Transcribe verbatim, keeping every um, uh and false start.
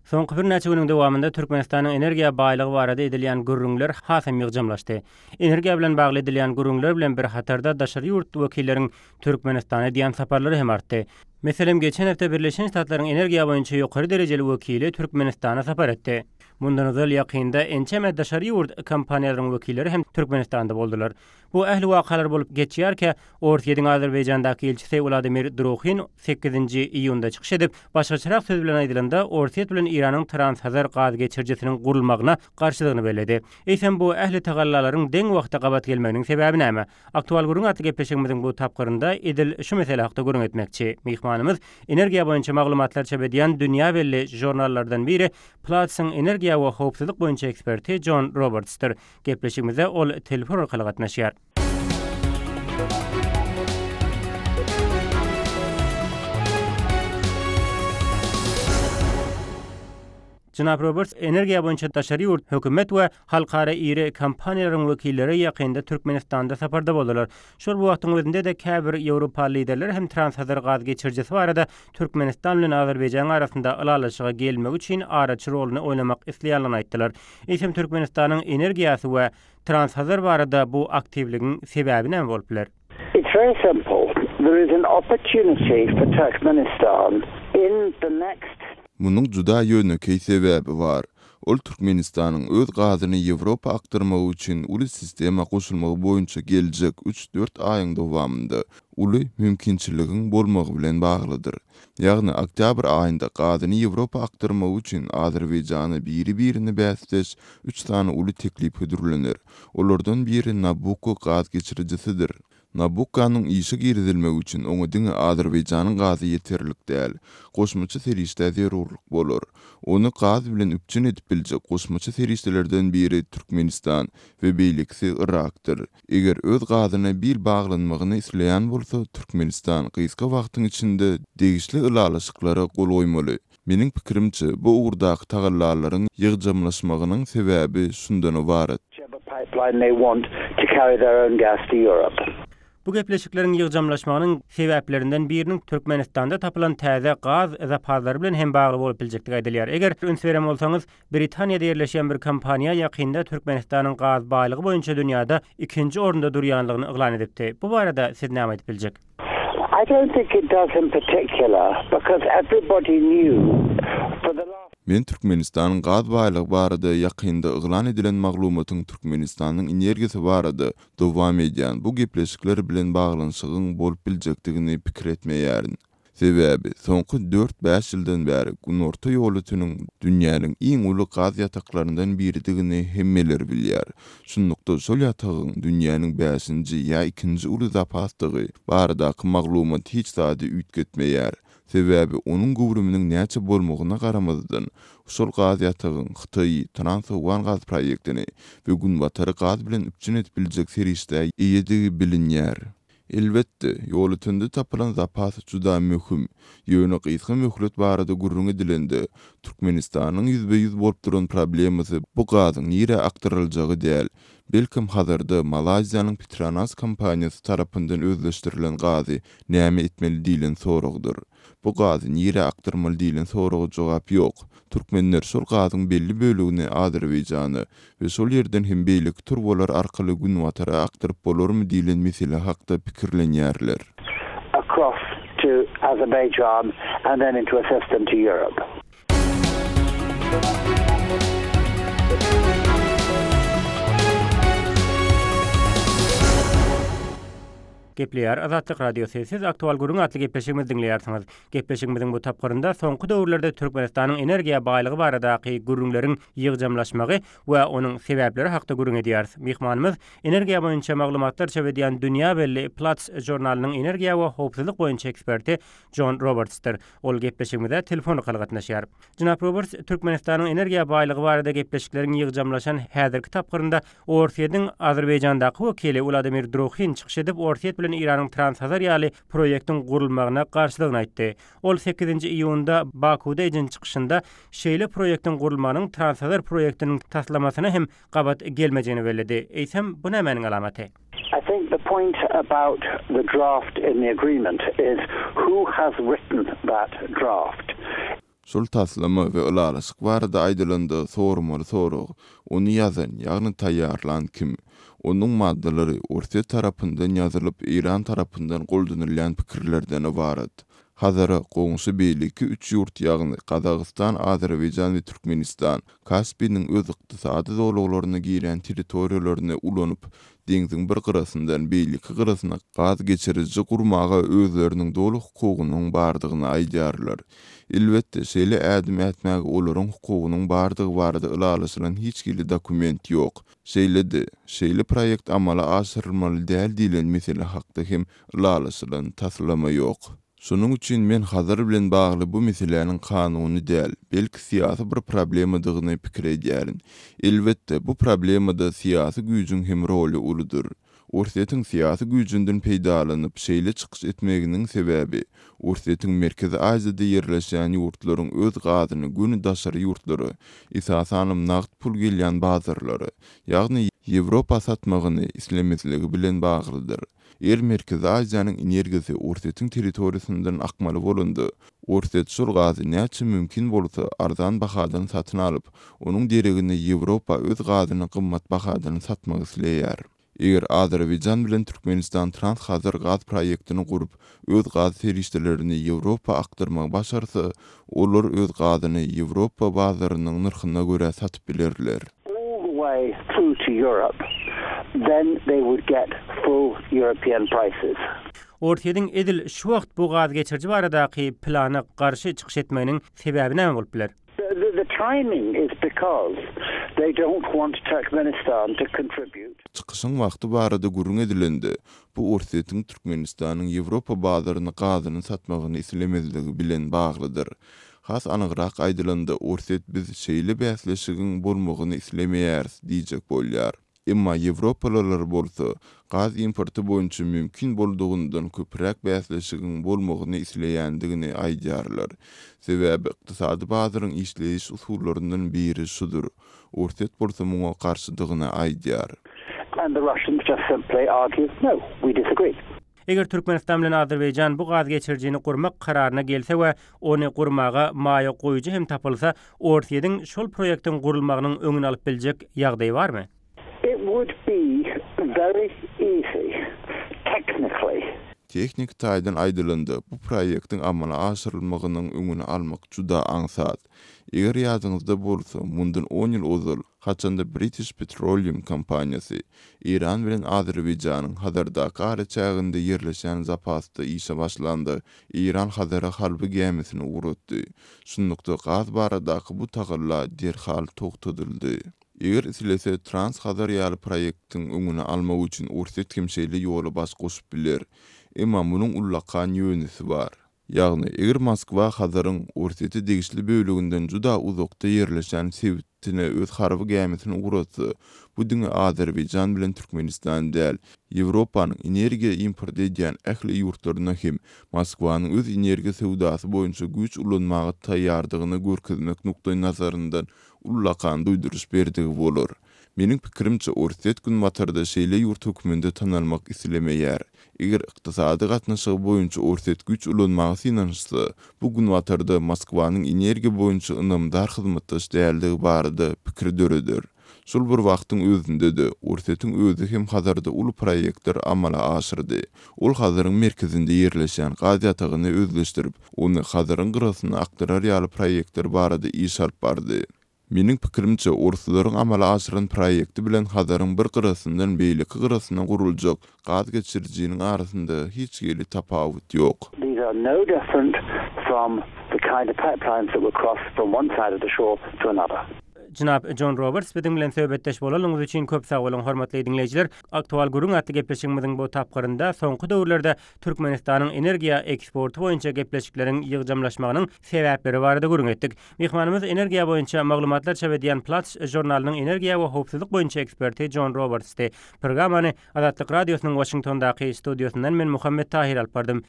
Soňky birnäçe günüň dowamynda Türkmenistanyň energiýa baýlygy barada edilýän gürrüňler hasam ýygjamlaşdy. Energiýa bilen bagly edilýän gürrüňler bilen bir hatarda daşary ýurt wekilleriň Türkmenistana edýän saparlary hem artdy. Meselem, geçen hepde Birleşen Ştatlaryň energiýa boýunça ýokary derejeli wekili Türkmenistana sapar etdi. Mundan ozal ýakynda ençeme daşary ýurt kompaniýalaryň wekilleri hem Türkmenistanda boldular. Bu ähli wakalar bolup geçýärkä, Orsýetiň Azerbaýjandaky ilçisi Wladimir Druhin sekizinji iýunda çykyş edip, başgaçarak söz bilen aýdylanda, Orsýet bilen Eýranyň Transhazar gaz geçirijisiniň gurulmagyna garşydygyny belledi. Eýsem bu ähli tagallalaryň deň wagtda gabat gelmeginiň sebäbi näme? Aktual gürrüň atly gepleşigimiziň bu tapgyrynda edil şu mesele hakda gürrüň etmekçi. Myhmanymyz energiýa boýunça maglumatlar çap edýän dünýä belli žurnallardan biri Platsyň energiýa we howpsuzlyk boýunça eksperti Jon Robertsdir. Gepleşigimize ol telefon arkaly gatnaşýar. Jenap Roberts, energiýa boýunça daşary ýurt hökümet we halkara iri kompaniýalaryň wekilleri ýakynda Türkmenistanda saparda boldular. Şol bu wagtyň özünde-de käbir Ýewropa liderleri hem Transhazar gaz geçirijisi barada Türkmenistan bilen Azerbaýjanyň arasynda ylalaşyga gelmek üçin araçy roluny oýnamak isleýändigini aýtdylar. Eýsem Türkmenistanyň energiýasy we Transhazar barada bu aktiwligiň sebäbi näme bolup biler? It's very simple. There is an opportunity for Turkmenistan in the next Munuň juda ýönekeý sebäbi bar. Ol Türkmenistanyň öz gazyny Ýewropa akdyrmagy üçin uly sistema goşulmagy boýunça geljek üç-dört aýyň dowamynda uly mümkinçiligiň bolmagy bilen baglydyr. Ýagny oktýabr aýynda gazyny Ýewropa akdyrmagy üçin Azerbaýjana biri-birine bäsdeş üç sany uly teklip hödürlener. Olardan biri Nabucco gaz geçirijisidir. Nabucconyň işe girizilmegi üçin oňa diňe Azerbaýjanyň gazy ýeterlik däl, goşmaça serişdä zerurlyk bolar. Ony gaz bilen üpjün edip biljek goşmaça serişdelerden biri Türkmenistan we beýlekisi Irakdyr. Eger öz gazyna bil baglanmagyny isleýän bolsa, Türkmenistan gysga wagtyň içinde degişli ylalaşyklara gol goýmaly. Meniň pikirimçe, bu ugurdaky tagallalaryň ýygjamlaşmagynyň sebäbi şundan ybarat. pipeline they want to carry their own gas to Europe. Bu gepleşikleriň ýygjamlaşmagynyň sebäplerinden biriniň Türkmenistanda tapylan täze gaz zapazlary bilen hem bagly bolup biljekdigi aýdylýar. Eger üns beren bolsaňyz, Britaniýada ýerleşýän bir kompaniýa ýakynda Türkmenistanyň gaz baýlygy boýunça dünýäde ikinji orunda durýanlygyny yglan edipdi. Bu barada siz näme aýdyp biljek? I don't think it does in particular because everybody knew for the last Men Türkmenistanyň gaz baýlygy barada ýakynda yglan edilen maglumatyň Türkmenistanyň energiýasy barada dowam edýän bu gepleşikler bilen baglanyşygyň bolup biljekdigini pikir etmeýärin. Sebäbi soňky dört-bäş ýyldan bäri Günorta Ýolöteniň dünýäniň iň uly gaz ýataklaryndan biridigini hemmeler bilýär. Şunlukda şol ýatagyň dünýäniň bäşinji ýa ikinji uly zapasdygy baradaky maglumat hiç zady üýtgetmeýär. Sebäbi onuň göwrüminiň näçe bolmagyna garamazdan, şol gaz ýatagyň Hytaýy, Trans-Owgan gaz proýektini we Günbatary gaz bilen üpjün edip biljek serişdä eýedigi bilinýär. Elbetde, Ýolötende tapylan zapas juda möhüm. Ýöne gysga möhlet barada gürrüň edilende, Türkmenistanyň ýüzbe-ýüz bolup duran problemasy bu gazyň nirä akdyryljagy däl. Belkem Hazarda Malaýziýanyň Petronas kompaniýasy tarapyndan özleşdirilen gazy näme etmeli diýlen soragdyr. Bu gazy nirä akdyrmaly diýlen soraga jogap ýok. Türkmenler şol gazyň belli bölegini Azerbaýjana we şol ýerden hem beýleki turbalar arkaly Günbatara akdyryp bolarmy diýlen mesele hakda pikirlenýärler. across to Azerbaijan and then into a system to Europe. Gepleýär Azatlyk Radiosy. Siz Aktual gürrüň atly gepleşigimizi diňleýärsiňiz. Gepleşigimiziň bu tapgyrynda soňky döwürlerde Türkmenistanyň energiýa baýlygy baradaky gürrüňleriň ýygjamlaşmagy we onuň sebäpleri hakda gürrüň edýäris. Myhmanymyz energiýa boýunça maglumatlar çap edýän dünýä belli Platts žurnalynyň energiýa we howpsuzlyk boýunça eksperti Jon Robertsdir. Ol gepleşigimize telefon arkaly gatnaşýar. Jenap Roberts, Türkmenistanyň energiýa baýlygy barada gepleşikleriň ýygjamlaşan häzirki tapgyrynda Orsýetiň Azerbaýjandaky wekili Wladimir Druhin çykyş edip, Orsýet bilen Eýranyň Transhazar ýaly proýektiň gurulmagyna garşydygyny aýtdy. Ol sekizinji iýunda Bakuda eden çykyşynda şeýle proýektiň gurulmagynyň Transhazar proýektiniň taslamasyna hem gabat gelmejegini belledi. Eýsem, bu nämäniň alamaty? I think the point about the draft in the agreement is who has written that draft. Şol taslama we ylalaşyk barada aýdylanda sormaly sorag, ony ýazan, ýagny taýýarlan kim? Onuň maddalary Orsýet tarapyndan ýazylyp, Eýran tarapyndan goldanylýan pikirlerden ybarat. Hazara goňşy beýleki üç ýurt ýagny Gazagystan, Azerbaýjan we Türkmenistan Kaspiniň öz ykdysady zolaglaryna girýän territoriýalaryny ulanyp, deňziň bir gyrasyndan beýleki gyrasyna gaz geçiriji gurmaga özleriniň doly hukugynyň bardygyny aýdýarlar. Elbetde, şeýle ädim ätmäge olaryň hukugynyň bardygy barada ylalaşylan hiç hili dokument ýok. Şeýle-de, şeýle proýekt amala aşyrylmaly däl diýlen mesele hakda hem ylalaşylan taslama ýok. Şonuň üçin men Hazar bilen bagly bu meseläniň kanuny däl, belki syýasy bir problemadygyny pikir edýärin. Elbetde, bu problemada syýasy güýjüň hem roly uludyr. Orsýetiň syýasy güýjünden peýdalanyp, şeýle çykyş etmeginiň sebäbi Orsýetiň Merkezi Aziýada ýerleşýän ýurtlaryň öz gazyny göni daşary ýurtlara, esasanam nagt pul gelýän bazarlara, ýagny Ýewropa satmagyny islemezligi bilen baglydyr. Eger Merkezi Aziýanyň energiýasy Orsýetiň territoriýasyndan akmaly bolanda, Orsýet şol gazy näçe mümkin bolsa arzan bahadan satyn alyp, onuň deregine Ýewropa öz gazyny gymmat bahadan satmak isleýär. Eger Azerbaýjan bilen Türkmenistan Trans-Hazar gaz proýektini gurup, öz gaz serişdelerini Ýewropa akdyrmagy başarsa, olar öz gazyny Ýewropa bazarynyň nyrhyna görä satyp bilerler. all the way through to Europe, then they would get full European prices. Orsýetiň edil şu wagt bu gaz geçiriji baradaky plana garşy çykyş etmeginiň sebäbi näme bolup biler? The, the, the timing is because they don't want Turkmenistan to contribute. Çykyşyň wagty barada gürrüň edilende, bu Orsýetiň Türkmenistanyň Ýewropa bazaryna gazyny satmagyny islemezligi bilen baglydyr. Has anygrak aýdylanda, Orsýet biz şeýle bäsleşigiň bolmagyny islemeýäris diýjek bolýar. Emma Ýewropalylar bolsa gaz importy boýunça mümkin boldugyndan köpräk bäsleşigiň bolmagyny isleýändigini aýdýarlar. Sebäbi ykdysady bazaryň işleýiş usullaryndan biri şudur. Orsýet bolsa muňa garşydygyny aýdýar. And the Russians just simply argue, no, we disagree. Eger Türkmenistan bilen Azerbaýjan bu gaz geçirijini gurmak kararyna gelse we ony gurmaga maýa goýujy hem tapylsa, Orsýetiň şol proýektiň gurulmagynyň öňüni alyp biljek ýagdaýy barmy? It would be very easy, technically, Tehniki taýdan aýdylanda, bu proýektiň amala aşyrylmagynyň öňüni almak juda aňsat. Eger ýadyňyzda bolsa, mundan on ýyl ozal, haçanda British Petroleum kompaniýasy Eýran bilen Azerbaýjanyň Hazardaky araçäginde ýerleşen zapasda işe başlanda, Eýran Hazara harby gämisini ugratdy. Şunlukda gaz baradaky bu tagalla derhal togtadyldy. Eger islese Trans-Hazar ýaly proýektiň öňüni almak üçin Orsýet hem şeýle ýola baş goşup biler. Emma munuň ullakan ýönesi bar. Ýagny, eger Moskwa Hazaryň Orsýete degişli böleginden juda uzakda ýerleşen sebitine öz harby gämisini ugratsa, bu diňe Azerbaýjan bilen Türkmenistan däl, Ýewropanyň energiýa import edýän ähli ýurtlaryna hem Moskwanyň öz energiýa söwdasy boýunça güýç ulanmaga taýýardygyny görkezmek nukdaýnazaryndan ullakan duýduryş berdigi bolar. Meniň pikirimçe Orsýet günbatarda şeýle ýurt hökmünde tanalmak islemeýär. Eger ykdysady gatnaşygy boýunça Orsýet güýç ulanmaga synanyşsa, bu günbatarda Moskwanyň energiýa boýunça ynamdar hyzmatdaş däldigi barada pikir döreder. Şol bir wagtyň özünde-de Orsýetiň özi hem Hazarda uly proýektler amala aşyrdy. Ol Hazaryň merkezinde ýerleşen gaz ýatagyny özleşdirip, ony Hazaryň gyrasyna akdyrar ýaly proýektler barada iş alyp bardy. Meniň pikirimçe, orslaryň amala aşyran proýekti bilen Hazaryň bir gyrasyndan beýleki gyrasyna guruljak gaz geçirijiniň arasynda hiç hili tapawut ýok. These are no different from the kind of pipelines that would cross from one side of the shore to another. Jenap John Roberts biziň bilen söhbetdeş bolanyňyz üçin köp sag boluň hormatly diňleýjiler. Aktual gürrüň atly gepleşigimiziň bu tapgyrynda soňky döwürlerde Türkmenistanyň energiýa eksporty boýunça gepleşikleriň ýygjamlaşmagynyň sebäpleri barada gürrüň etdik. Myhmanymyz energiýa boýunça maglumatlar çap edýän Platts žurnalynyň energiýa we howpsuzlyk boýunça eksperti John Robertsdy. Programmany Azatlyk Radiosynyň Washingtondaky studiýasyndan men Muhammet Tahir alyp bardym.